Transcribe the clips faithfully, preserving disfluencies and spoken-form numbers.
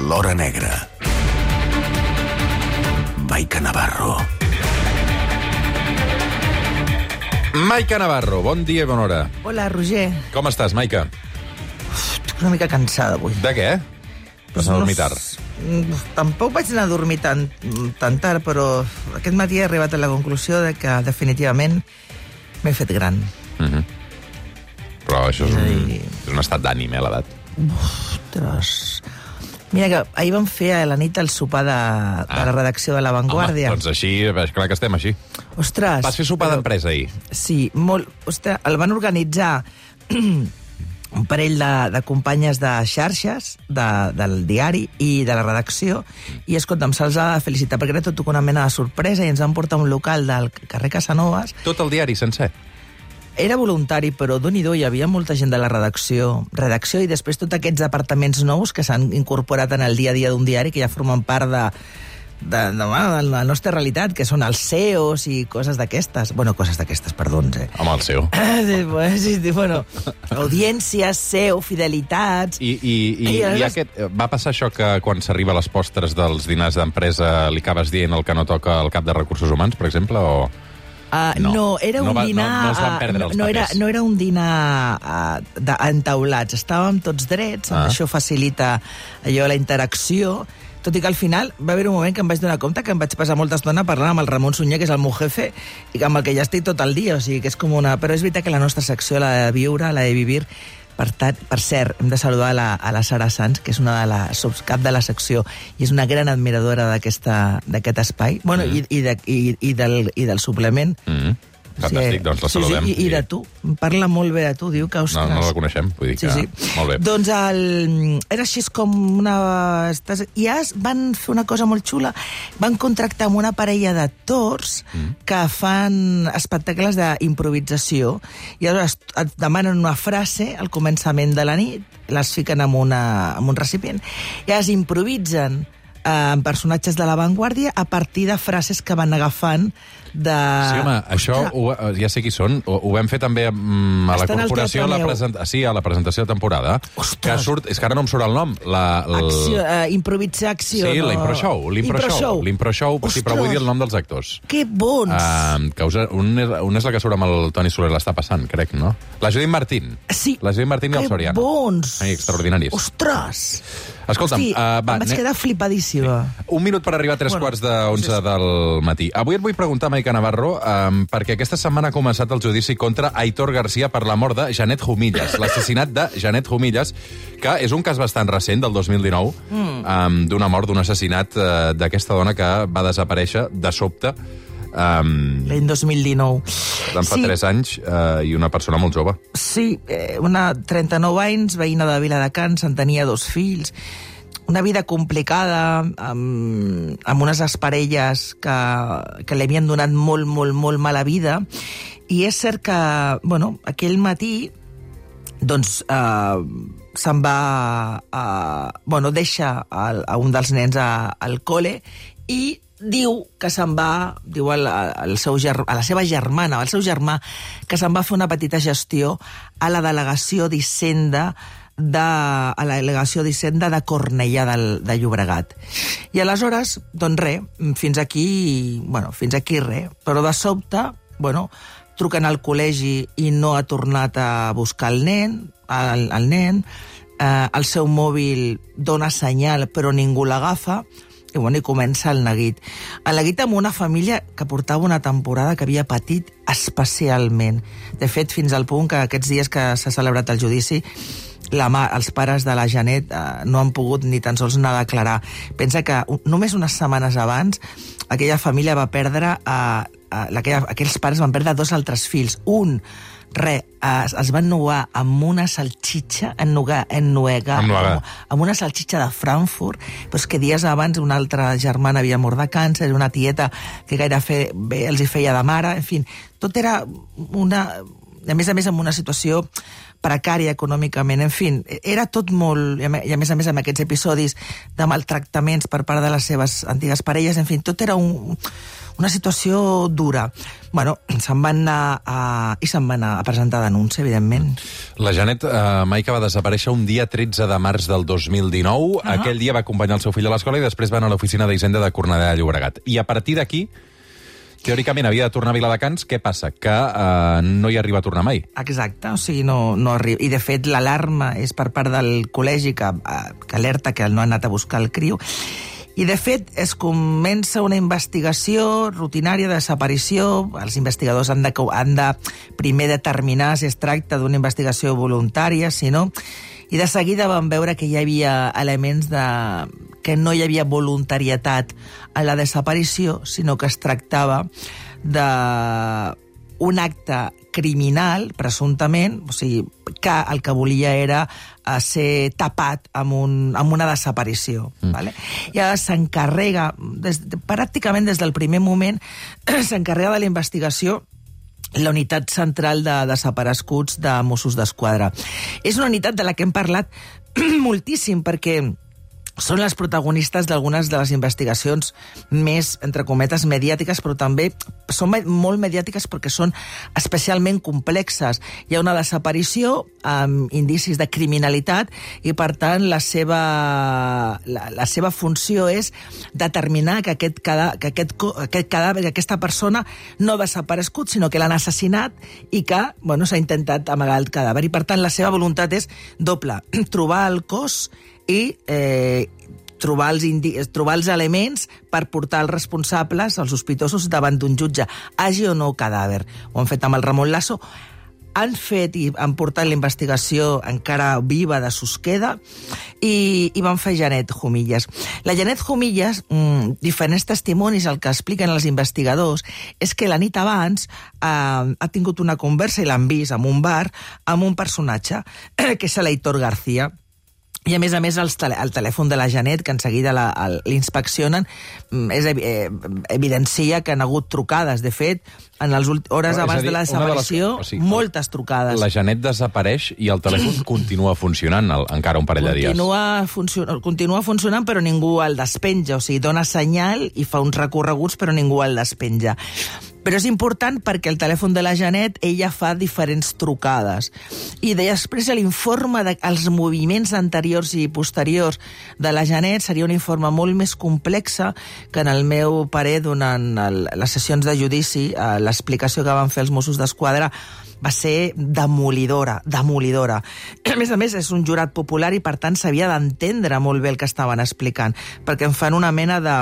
L'Hora Negra. Maica Navarro. Maica Navarro, bon dia i bona hora. Hola, Roger. Com estàs, Maica? Estic una mica cansada avui. De què? Vas a dormir tard? No, tampoc vaig anar a dormir tan, tan tard, però aquest matí he arribat a la conclusió de que definitivament m'he fet gran. Uh-huh. Però això és un, és un estat d'ànim, eh, l'edat. Ostres... Mira que ahir vam fer a la nit el sopar de, ah. de la redacció de La Vanguardia. Home, doncs així, clar que estem així. Ostres... Vas fer sopar però... d'empresa ahir? Sí, molt... Ostres, el van organitzar un parell de, de companyes de xarxes, de, del diari i de la redacció, i escolta'm, se'ls ha de felicitar, perquè era tot una mena de sorpresa, i ens van portar a un local del carrer Casanovas. Tot el diari sencer? Era voluntari, però d'on-i-do hi havia molta gent de la redacció, redacció i després tots aquests departaments nous que s'han incorporat en el dia a dia d'un diari, que ja formen part de, de, de, de la nostra realitat, que són els C E Os i coses d'aquestes. Bueno, coses d'aquestes, perdons, eh? Home, el C E O. Sí, sí, bueno, audiències, C E O, fidelitats... I, i, i, i, i aquest, va passar això que quan s'arriba a les postres dels dinars d'empresa li acabes dient el que no toca al cap de recursos humans, per exemple, o... Uh, no, no, era un no va, dinar... No, no es van perdre uh, els no, era, papers. no era un dinar uh, de, entaulats, estàvem tots drets, ah. Això facilita allò, la interacció, tot i que al final va haver un moment que em vaig donar compte que em vaig passar molta estona parlant amb el Ramon Sunyer, que és el meu jefe, i amb el que ja estic tot el dia, o sigui que és com una... Però és veritat que la nostra secció, la de viure, la de vivir... Per, tant, per cert, hem de saludar a la, a la Sara Sanz, que és una de la subcap de la secció i és una gran admiradora d'aquest espai, bueno, mm. i, i, de, i, i, del, i del suplement. Mm. Fantàstic, sí, doncs la saludem. Sí, sí, i, i de tu, parla molt bé de tu, diu que... Ostres... No, no la coneixem, vull dir que... Sí, sí. Molt bé. Doncs el... era així com una... I ja van fer una cosa molt xula, van contractar amb una parella d'actors mm. que fan espectacles d'improvisació, i aleshores et demanen una frase al començament de la nit, les fiquen en, una, en un recipient, i es improvisen amb personatges de La Vanguardia a partir de frases que van agafant de... Sí, home, això ho, ja sé qui són. Ho, ho vam fer també mm, a la Estan corporació, a la, present... sí, a la presentació de temporada. Ostres. Que surt... És que ara no em surt el nom. La, l... acció, uh, improvisar acció. Sí, no? l'Impro Show. L'Impro Show. L'Impro Show, sí, però vull dir el nom dels actors. Que bons! Uh, que us, un, és, un és la que surt amb el Toni Soler, l'està passant, crec, no? La Judit Martín. Sí. La Judit Martín i el Soriano. Que bons! Ai, extraordinaris. Ostres! Escolta'm, Hosti, uh, va, em vaig ne... quedar flipadíssima. Sí. Un minut per arribar a tres bueno, quarts d'onze doncs del matí. Avui et vull preguntar, Maica Navarro, um, perquè aquesta setmana ha començat el judici contra Aitor García per la mort de Janet Jumillas, l'assassinat de Janet Jumillas, que és un cas bastant recent, del dos mil dinou, mm. um, d'una mort, d'un assassinat uh, d'aquesta dona que va desaparèixer de sobte. Um, L'any dos mil dinou. Fa sí. tres anys uh, i una persona molt jove. Sí, eh, una trenta-nou anys, veïna de Viladecans, en tenia dos fills, una vida complicada, amb, amb unes exparelles que, que li havien donat molt, molt, molt mala vida, i és cert que, bueno, aquell matí, doncs, eh, se'n va, eh, bueno, deixa a, a un dels nens a, al col·le, i diu que se'n va, diu al, al seu ger, a la seva germana, al seu germà, que se'n va fer una petita gestió a la delegació d'Hisenda de, a la delegació d'Hisenda de Cornellà del, de Llobregat. I aleshores, doncs res, fins aquí, bueno, fins aquí res, però de sobte, bueno, truquen al col·legi i no ha tornat a buscar el nen, el, el nen, eh, el seu mòbil dona senyal però ningú l'agafa, i, bueno, i comença el neguit. El neguit amb una família que portava una temporada que havia patit especialment. De fet, fins al punt que aquests dies que s'ha celebrat el judici, la mà, els pares de la Janet eh, no han pogut ni tan sols anar a declarar. Pensa que només unes setmanes abans aquella família va perdre, eh, eh, aquella, aquells pares van perdre dos altres fills. Un, re, es, es van nugar amb una salxitxa, ennugar, ennuegar, amb, amb una salxitxa de Frankfurt, però és que dies abans una altra germana havia mort de càncer, una tieta que gaire fe, bé els hi feia de mare, en fi, tot era una... a més a més amb una situació precària econòmicament, en fi, era tot molt, i a més a més amb aquests episodis de maltractaments per part de les seves antigues parelles, en fi, tot era un, una situació dura. Bueno, se'n van anar a, i se'n van anar a presentar denúncia, evidentment. La Janet eh, Maica va desaparèixer un dia tretze de març del dos mil dinou. Uh-huh. Aquell dia va acompanyar el seu fill a l'escola i després va anar a l'oficina d'Hisenda de Cornellà de Llobregat. I a partir d'aquí, teòricament havia de tornar a Viladecans. Què passa? Que eh, no hi arriba a tornar mai. Exacte, o sigui, no, no arriba. I de fet l'alarma és per part del col·legi que, que alerta que no ha anat a buscar el criu. I, de fet, es comença una investigació rutinària de desaparició. Els investigadors han de, han de primer determinar si es tracta d'una investigació voluntària, si no. I de seguida van veure que hi havia elements de... que no hi havia voluntarietat a la desaparició, sinó que es tractava d'un acte criminal, presumptament, o sigui, que el que volia era ser tapat amb, un, amb una desaparició. Mm. Vale? I ara s'encarrega, des, pràcticament des del primer moment, s'encarrega de la investigació la unitat central de desapareguts de Mossos d'Esquadra. És una unitat de la que hem parlat moltíssim, perquè són les protagonistes d'algunes de les investigacions més, entre cometes, mediàtiques, però també són molt mediàtiques perquè són especialment complexes. Hi ha una desaparició amb indicis de criminalitat i, per tant, la seva, la, la seva funció és determinar que aquest, cada, que aquest, aquest cadàver, que aquesta persona no ha desaparegut, sinó que l'han assassinat i que bueno, s'ha intentat amagar el cadàver. I, per tant, la seva voluntat és doble, trobar el cos i eh, trobar, els indi... trobar els elements per portar els responsables, els sospitosos, davant d'un jutge. Hagi o no cadàver. Ho han fet amb el Ramon Lasso. Han fet i han portat la investigació encara viva de Susqueda i, i van fer Janet Jumillas. La Janet Jumillas, mmm, diferents testimonis, el que expliquen els investigadors és que la nit abans eh, ha tingut una conversa, i l'han vist en un bar, amb un personatge, que és l'Aitor García. I, a més a més, el, tele, el telèfon de la Janet, que en seguida l'inspeccionen, és, eh, evidencia que han hagut trucades. De fet, en les hores abans de la desaparició, de les... o sigui, moltes trucades. La Janet desapareix i el telèfon continua funcionant el, encara un parell continua de dies. Funcio continua funcionant, però ningú el despenja. O sigui, dona senyal i fa uns recorreguts, però ningú el despenja. Però és important perquè el telèfon de la Janet, ella fa diferents trucades. I després l'informe dels moviments anteriors i posteriors de la Janet seria un informe molt més complex que, en el meu parer, durant el, les sessions de judici, eh, l'explicació que van fer els Mossos d'Esquadra va ser demolidora, demolidora. A més a més, és un jurat popular i, per tant, s'havia d'entendre molt bé el que estaven explicant, perquè en fan una mena de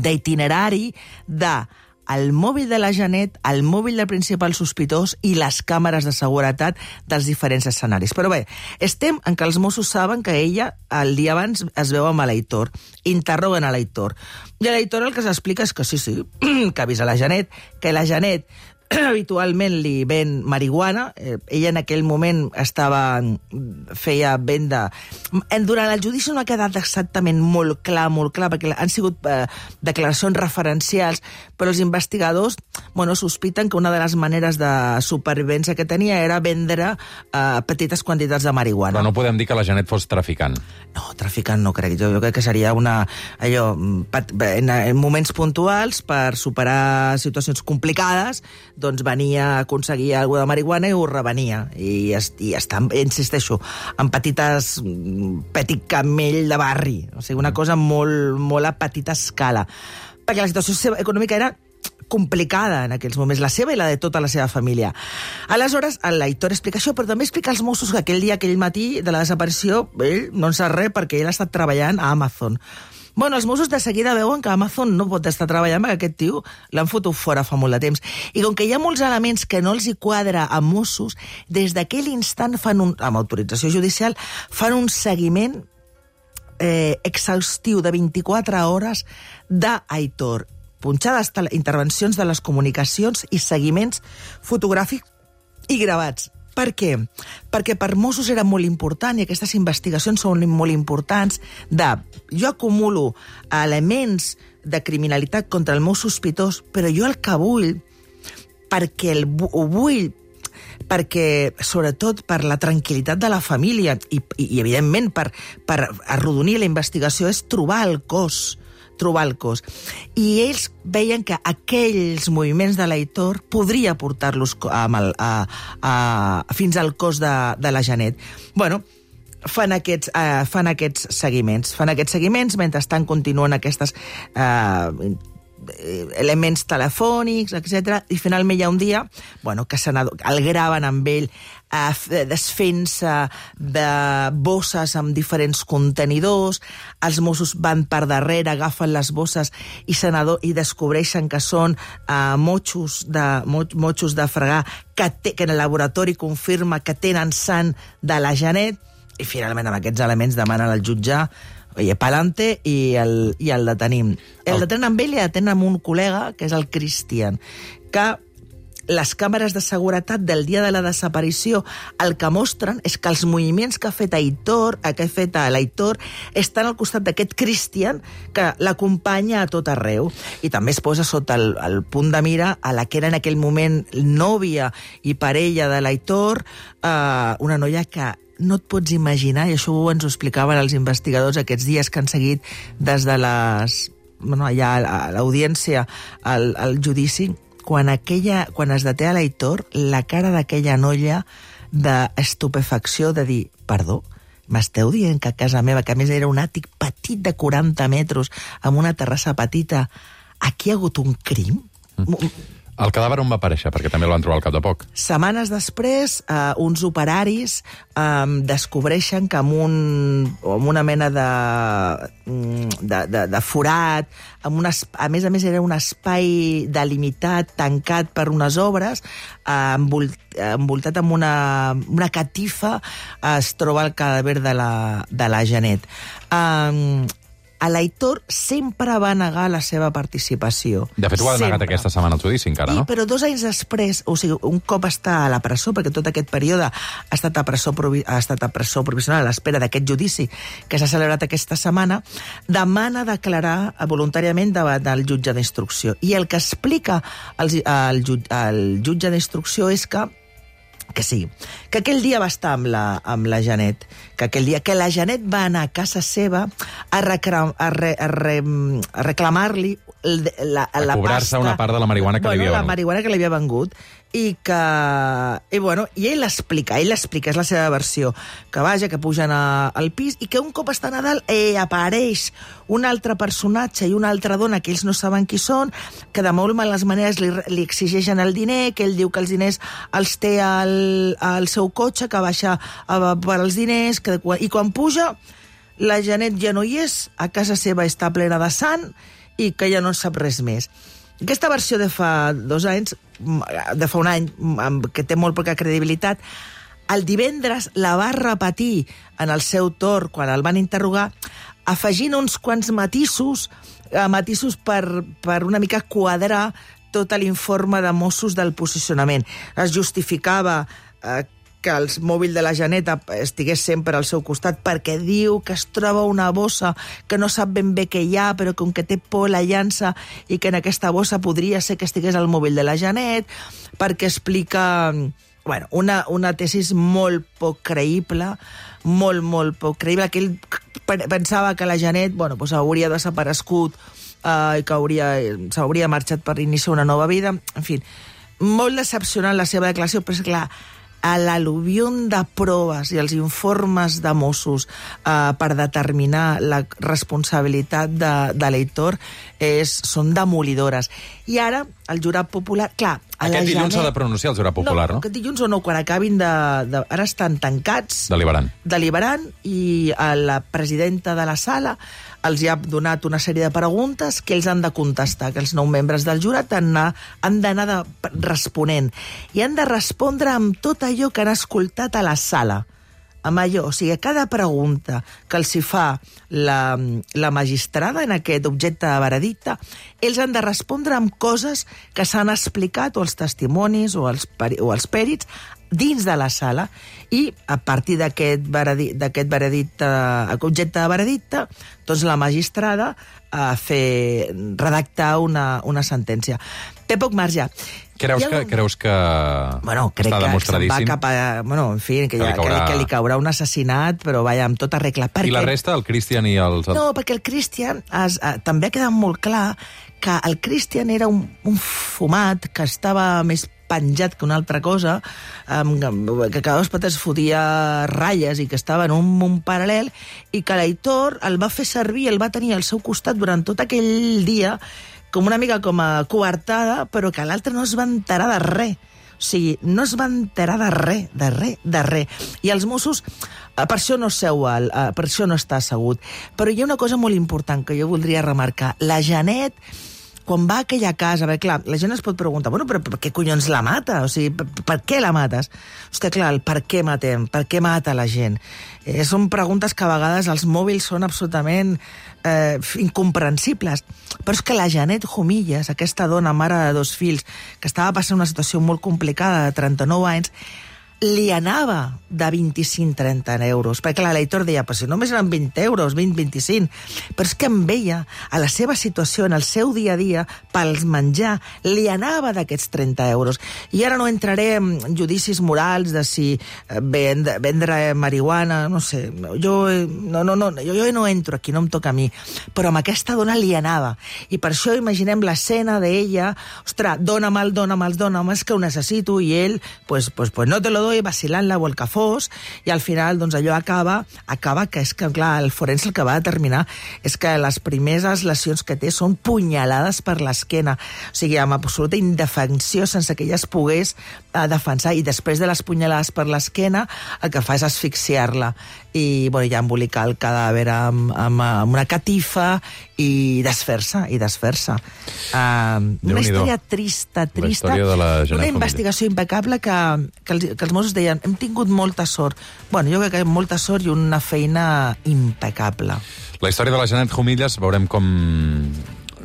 d'itinerari de el mòbil de la Janet, el mòbil del principal sospitós i les càmeres de seguretat dels diferents escenaris. Però bé, estem en que els Mossos saben que ella, el dia abans, es veu amb l'Aitor. Interroguen a l'Aitor. I a l'Aitor el que s'explica és que sí, sí, que ha vist a la Janet, que la Janet habitualment li ven marihuana. Eh, ella en aquell moment estava feia venda... Durant el judici no ha quedat exactament molt clar, molt clar, perquè han sigut eh, declaracions referencials, però els investigadors bueno, sospiten que una de les maneres de supervivència que tenia era vendre eh, petites quantitats de marihuana. Però no podem dir que la Janet fos traficant. No, traficant no crec. Jo, jo crec que seria una... allò, en, en moments puntuals, per superar situacions complicades, doncs venia a aconseguir alguna de marihuana i ho revenia. I, i està, insisteixo, en petites... petit camell de barri. O sigui, una cosa molt, molt a petita escala. Perquè la situació econòmica era complicada en aquells moments, la seva i la de tota la seva família. Aleshores, l'Aitor explica això, però també explica als Mossos que aquell dia, aquell matí de la desaparició, ell no en sap res perquè ell ha estat treballant a Amazon. Bueno, els Mossos de seguida veuen que Amazon no pot estar treballant perquè aquest tio l'han fotut fora fa molt de temps. I com que hi ha molts elements que no els hi quadra a Mossos, des d'aquell instant fan un, amb autorització judicial, fan un seguiment eh, exhaustiu de vint-i-quatre hores d'Aitor. Punxades, intervencions de les comunicacions i seguiments fotogràfics i gravats. Per què? Perquè per Mossos era molt important, i aquestes investigacions són molt importants, de jo acumulo elements de criminalitat contra el meu sospitós, però jo el que vull, perquè el, ho vull perquè, sobretot, per la tranquil·litat de la família i, i, i evidentment, per, per arrodonir la investigació, és trobar el cos, trobar el cos. I ells veien que aquells moviments de l'Aitor podria portar-los amb el, a, a, fins al cos de, de la Janet. Bueno, fan aquests, uh, fan aquests seguiments. Fan aquests seguiments, mentrestant continuen aquestes uh, elements telefònics, etcètera. I finalment hi ha un dia, bueno, que el graven amb ell uh, desfent-se de bosses amb diferents contenidors. Els Mossos van per darrere, agafen les bosses i, senador, i descobreixen que són uh, motxos, de, motxos de fregar que, té, que en el laboratori confirma que tenen sang de la Janet. I finalment amb aquests elements demanen al jutge oye, pa'lante i el, i el detenim. El detenen amb ell i detenen amb un col·lega, que és el Christian, que les càmeres de seguretat del dia de la desaparició el que mostren és que els moviments que ha fet Aitor, que ha fet l'Aitor, estan al costat d'aquest Christian que l'acompanya a tot arreu. I també es posa sota el, el punt de mira a la que era en aquell moment nòvia i parella de l'Aitor, eh, una noia que no et pots imaginar, i això ens ho explicaven els investigadors aquests dies que han seguit des de les... Bueno, allà a l'audiència, al, al judici, quan, aquella, quan es deté a l'Aitor, la cara d'aquella noia d'estupefacció, de dir, perdó, m'esteu dient que a casa meva, que a més era un àtic petit de quaranta metres, amb una terrassa petita, aquí hi ha hagut un crim? Mm. El cadàver on va aparèixer? Perquè també el van trobar al cap de poc. Setmanes després, eh, uns operaris eh, descobreixen que amb, un, amb una mena de, de, de, de forat, amb una, a més a més era un espai delimitat, tancat per unes obres, eh, envolt, envoltat amb una, una catifa, eh, es troba el cadàver de la, de la Janet. Eh, A l'Aitor sempre va negar la seva participació. De fet, ho ha negat aquesta setmana al judici, encara, no? I, però dos anys després, o sigui, un cop està a la presó, perquè tot aquest període ha estat a presó, provi ha estat a presó provisional a l'espera d'aquest judici que s'ha celebrat aquesta setmana, demana declarar voluntàriament davant del jutge d'instrucció. I el que explica el, el, el jutge d'instrucció és que que sí, que aquell dia va estar amb la, amb la Janet, que aquell dia que la Janet va anar a casa seva a, recram, a, re, a, re, a reclamar-li la, la, la cobrar-se una part de la marihuana que bueno, li havia vengut. vengut. La marihuana que li havia vengut. I que... I, bueno, i ell l'explica, ell l'explica, és la seva versió, que vaja, que pugen a, al pis, i que un cop està a Nadal eh, apareix un altre personatge i una altra dona que ells no saben qui són, que de molt males maneres li, li exigeixen el diner, que ell diu que els diners els té al, al seu cotxe, que baixa a, per als diners, que, i quan puja, la Janet ja no hi és, a casa seva està plena de sang, i que ja no sap res més. Aquesta versió de fa dos anys, de fa un any, que té molt poca credibilitat, el divendres la va repetir en el seu torn quan el van interrogar, afegint uns quants matisos, matisos per, per una mica quadrar tot l'informe de Mossos del posicionament. Es justificava eh, que el mòbil de la Janet estigués sempre al seu costat perquè diu que es troba una bossa que no sap ben bé què hi ha, però com que té por la llança i que en aquesta bossa podria ser que estigués el mòbil de la Janet, perquè explica bueno, una, una tesis molt poc creïble, molt, molt poc creïble, que ell pensava que la Janet bueno, pues hauria desaparegut eh, i que hauria, s'hauria marxat per iniciar una nova vida. En fi, molt decepcionant la seva declaració, però és clar, a l'al·luvión de proves i els informes de Mossos eh, per determinar la responsabilitat de, de l'Aitor és, són demolidores. I ara, el jurat popular... Clar, a aquest la dilluns s'ha Janet... de pronunciar el jurat popular, no? No, aquest dilluns o no, quan acabin de... de ara estan tancats... Deliberant. Deliberant, i a la presidenta de la sala els hi ha donat una sèrie de preguntes que ells han de contestar, que els nou membres del jurat han, han d'anar de, responent. I han de respondre amb tot allò que han escoltat a la sala. Amb allò, o sigui, cada pregunta que els hi fa la, la magistrada en aquest objecte de veredicte, ells han de respondre amb coses que s'han explicat, o els testimonis, o els, o els pèrits, dins de la sala, i a partir d'aquest veredicte, veredicte, objecte de veredicte, doncs la magistrada a fer redactar una, una sentència. té poc marge. Creus Hi ha que, un- creus que Bueno, crec està que se'n va demostradíssim? cap a... Bueno, en fi, que, Que li ja, que, li, caurà- que li caurà un assassinat, però vaja, amb tota regla. I la resta, el Christian i els... No, perquè el Christian es, eh, també ha quedat molt clar que el Christian era un, un fumat que estava més penjat que una altra cosa, um, que cada dos pates fotia ratlles i que estava en un món paral·lel, i que l'Aitor el va fer servir, el va tenir al seu costat durant tot aquell dia com una mica com a coartada, però que l'altre no es va enterar de res. O sigui, no es va enterar de res, de res, de res. I els Mossos, eh, per això no seu, al, eh, per això no està assegut. Però hi ha una cosa molt important que jo voldria remarcar. La Janet, quan va a aquella casa, bé, clar, la gent es pot preguntar, bueno, però per què collons la mata? O sigui, per, per què la mates? Hòstia, clar, el per què matem? Per què mata la gent? Eh, són preguntes que a vegades els mòbils són absolutament eh, incomprensibles. Però és que la Janet Jumillas, aquesta dona, mare de dos fills, que estava passant una situació molt complicada, de trenta-nou anys, li anava de vint-i-cinc a trenta euros. Perquè clar, l'Aitor deia, però si només eren vint euros, vint, vint-i-cinc. Però és que em veia a la seva situació, en el seu dia a dia, pels menjar, li anava d'aquests trenta euros. I ara no entraré en judicis morals de si vendre, vendre marihuana, no sé, jo no, no, no, jo, jo no entro aquí, no em toca a mi. Però amb aquesta dona li anava. I per això imaginem l'escena d'ella, ostres, dóna'm el, dóna'm el, dóna'm, és que ho necessito, i ell, pues, pues, pues no te lo doy, vacilant-la o el que fos, i al final doncs allò acaba, acaba que és que, clar, el forense el que va determinar és que les primeres lesions que té són punyalades per l'esquena, o sigui, amb absoluta indefensió, sense que ella es pogués eh, defensar, i després de les punyalades per l'esquena el que fa és asfixiar-la i bueno, ja embolicar el cadàver amb, amb, amb una catifa i desfer-se, i desfer-se. Uh, una història trista, trista, història de la Janet una Jumillas. investigació impecable que, que, els, que els Mossos deien, hem tingut molta sort. Bueno, jo crec que molta sort i una feina impecable. La història de la Janet Jumillas, veurem com,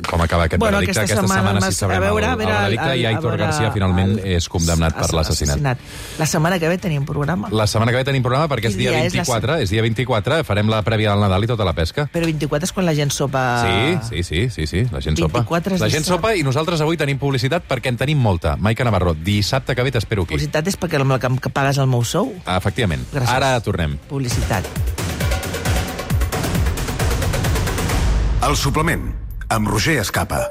com acaba aquest Bueno, veredicte. aquesta Aquesta setmana, setmana si sabrem a veure, el, a veure, el veredicte, el- i a Aitor veure, García finalment el- és condemnat per l'assassinat. La setmana que ve tenim programa. La setmana que ve tenim programa perquè és Quin dia dia és la vint-i-quatre, és dia vint-i-quatre, farem la prèvia del Nadal i tota la pesca. Però vint-i-quatre és quan la gent sopa... Sí, sí, sí, sí, sí, la gent sopa. vint-i-quatre és La gent dissabte. sopa i nosaltres avui tenim publicitat perquè en tenim molta. Maica Navarro, dissabte que ve t'espero aquí. Publicitat és perquè amb la que, que pagues el meu sou. Efectivament. Gràcies. Ara tornem. Publicitat. El suplement, amb Roger Escapa.